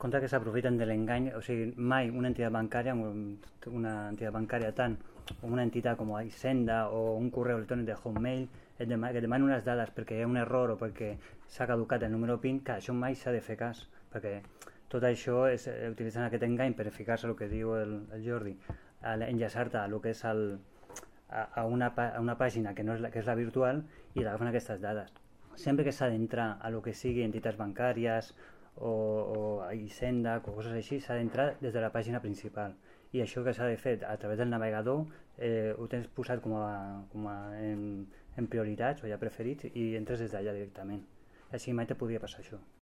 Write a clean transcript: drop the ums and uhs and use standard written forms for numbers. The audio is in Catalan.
contra que s'aprofiten de l'engany, o sigui, mai una entitat bancària, tant una entitat com Hisenda o un correu electrònic de Hotmail que et demani unes dades perquè hi ha un error o perquè s'ha caducat el número PIN, que això mai s'ha de fer cas, perquè tot això utilitzen aquest engany per ficar-se el que diu el Jordi, enllaçar-te a el que és a una pàgina que és la virtual i t'agafen aquestes dades. Sempre que s'ha d'entrar a el que sigui entitats bancàries o Hisenda o coses així, s'ha d'entrar des de la pàgina principal, i això que s'ha de fer a través del navegador ho tens posat en prioritats o ja preferits i entres des d'allà directament, així mai te podria passar això.